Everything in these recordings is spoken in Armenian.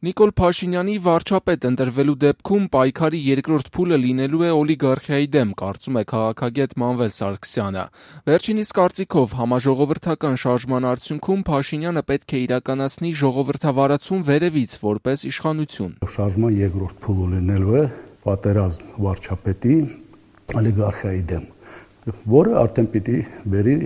Նիկոլ Փաշինյանի վարչապետ ընտրվելու դեպքում պայքարի երկրորդ փուլը լինելու է օլիգարխիայի դեմ, կարծում է քաղաքագետ Մանվել Սարգսյանը։ Վերջինիս կարծիքով համաժողովրդական շարժման արդյունքում Փաշինյանը պետք է իրականացնի ժողովրդավարացում վերևից որպես իշխանություն։ Շարժման երկրորդ փուլը լինելու է պատերազմ վարչապետի օլիգարխիայի դեմ, որը արդեն պիտի բերի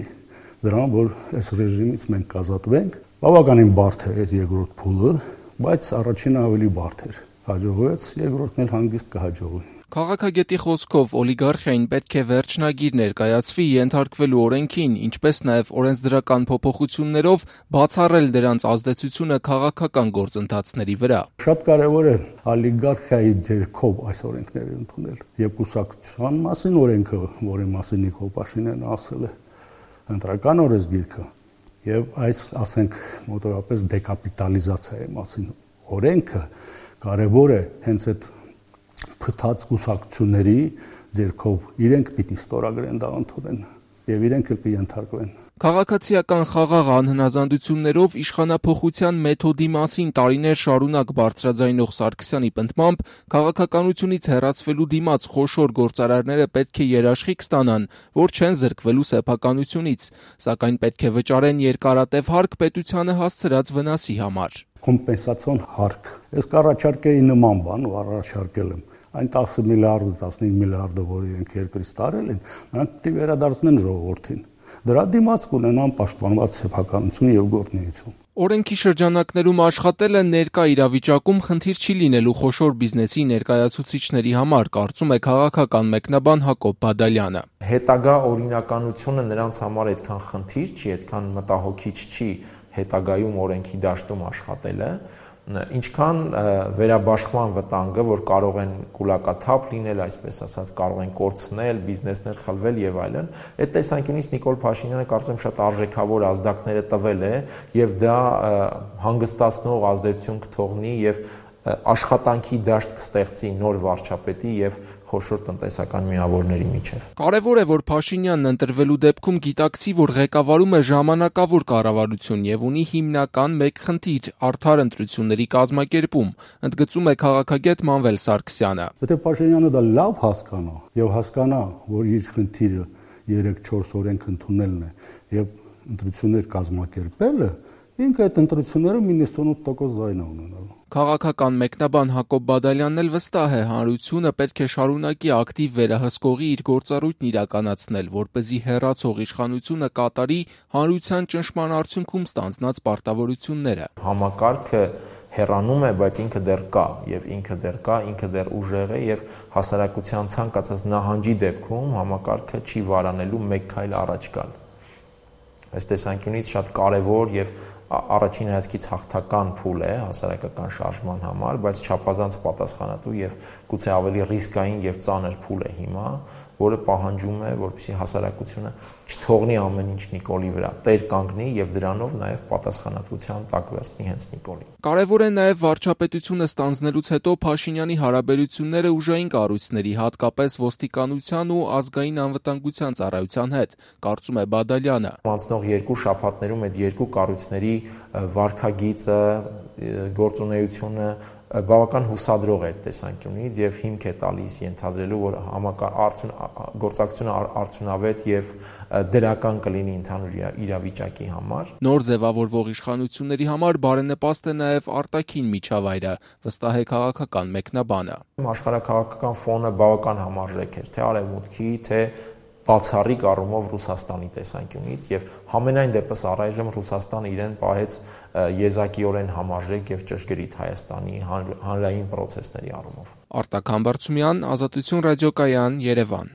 դրան, որ այս ռեժիմից մենք կազատվենք։ Բավականին բարդ է այս երկրորդ փուլը, բայց առաջինը ավելի բարդ էր։ Հաջողվեց, երկրորդն էլ հանգիստ կհաջողվի։ Քաղաքագետի խոսքով օլիգարխիային պետք է վերջնագիր ներկայացվի ենթարկվելու օրենքին, ինչպես նաև օրենսդրական փոփոխություններով բացառել դրանց ազդեցությունը քաղաքական գործընթացների վրա։ Շատ կարևոր է օլիգարխիայի ձեռքով այս օրենքները ընդունել։ Եվ կուսակցության մասին օրենքը, որի մասին Նիկոլ Փաշինյանը ասել է, ընտրական օրենսգիրքը, եւ այս, ասենք, մոտավորապես դեկապիտալիզացիայի մասին օրենքը կարևոր է հենց այդ փտած կուսակցությունների ձեռքով իրենք պիտի ստորագրեն դա ընդունեն եւ իրենք էլ կենթարկվեն։ Քաղաքացիական խաղաղ անհնազանդություններով իշխանափոխության մեթոդի մասին տարիներ շարունակ բարձրաձայնող Սարգսյանի պնդմամբ քաղաքականությունից հեռացվելու դիմաց խոշոր գործարարները պետք է երաշխիք ստանան, որ չեն զրկվելու սեփականությունից, սակայն պետք է վճարեն երկարատև հարկ պետությանը հասցրած վնասի համար։ Կոմպենսացիոն հարկ։ Ես կառաջարկեի նման բան ու առաջարկել եմ։ Այն 10 միլիարդը 15 միլիարդը, որ իրենք երկրից տարել են, նրանք պետք է վերադարձնեն ժողովրդին։ Դրա դիմաց կունենան պաշտպանված սեփականություն եւ գործունեություն։ Օրենքի շրջանակներում աշխատելը ներկա իրավիճակում խնդիր չի լինելու խոշոր բիզնեսի ներկայացուցիչների համար, կարծում է քաղաքական մեկնաբան Հակոբ Բադալյանը։ Հետագա օրինականությունը նրանց համար այդքան խնդիր չի, այդքան մտահոգիչ չի հետագայում օրենքի դաշտում աշխատելը, ինչքան վերաբաշխման վտանգը, որ կարող են կուլակաթափ լինել, այսպես ասած, կարող են կորցնել, բիզնեսներ խլվել եւ այլն, այդ տեսանկյունից Նիկոլ Փաշինյանը կարծում եմ շատ արժեքավոր ազդակները տվել է եւ դա հանգստացնող ազդեցություն կթողնի եւ աշխատանքի դաշտ կստեղծի նոր վարչապետի եւ խոշոր տնտեսական միավորների միջեւ։ Կարևոր է, որ Փաշինյանն ընտրվելու դեպքում գիտակցի, որ ղեկավարում է ժամանակավոր կառավարություն եւ ունի հիմնական մեկ խնդիր՝ արդար ընտրությունների կազմակերպում, ընդգծում է քաղաքագետ Մանվել Սարգսյանը։ Եթե Փաշինյանը դա լավ հասկանա եւ հասկանա, որ իր խնդիրը 3-4 օրենք ընդունելն է եւ ընտրություններ կազմակերպելը, ինքը այդ ընտրությունները 98% ձայն է ունենալու։ Քաղաքական մեկնաբան Հակոբ Բադալյանն էլ վստահ է, հանրությունը պետք է շարունակի ակտիվ վերահսկողի իր գործառույթն իրականացնել, որպեսզի հեռացող իշխանությունը կատարի հանրության ճնշման արդյունքում ստանձնած պարտավորությունները։ Համակարգը հեռանում է, բայց ինքը դեռ կա եւ ինքը դեռ ուժեղ է եւ հասարակության ցանկացած նահանջի դեպքում համակարգը չի վարանելու մեկ քայլ առաջ գալ։ Այս տեսանկյունից շատ կարևոր եւ առաջին հայացքից հաղթական փուլ է հասարակական շարժման համար, բայց չափազանց պատասխանատու եւ գուցե ավելի ռիսկային եւ ծանր փուլ է հիմա, որը պահանջում է, որպեսզի հասարակությունը չթողնի ամեն ինչ Նիկոլի վրա, տեր կանգնի եւ դրանով նաեւ պատասխանատվության տակ վերցնի հենց Նիկոլին։ Կարևոր է նաեւ վարչապետությունը ստանձնելուց հետո Փաշինյանի հարաբերությունները ուժային կառույցների, հատկապես ոստիկանության ու ազգային անվտանգության ծառայության հետ, կարծում է Բադալյանը։ Անցնող 2 շաբաթներում այդ երկու կառույցների վարքագիծը, գործունեությունը բավական հուսադրող է այդ տեսանկյունից եւ հիմք է տալիս ենթադրելու, որ գործակցությունը արդյունավետ եւ դրական կլինի ընդհանուր իրավիճակի համար։ Նոր ձևավորվող իշխանությունների համար բարենպաստ է նաեւ արտաքին միջավայրը, վստահ է քաղաքական մեկնաբանը։ Աշխարհաքաղաքական ֆոնը բավական համարժեք էր, թե արևմուտքի, թե բացառիկ առումով Ռուսաստանի տեսանկյունից եւ համենայն դեպս առայժմ Ռուսաստանը իրեն պահեց եզակիորեն համարժեք եւ ճշգրիտ Հայաստանի հանրային պրոցեսների առումով։ Արտակ Համբարձումյան, Ազատություն ռադիոկայան, Երևան։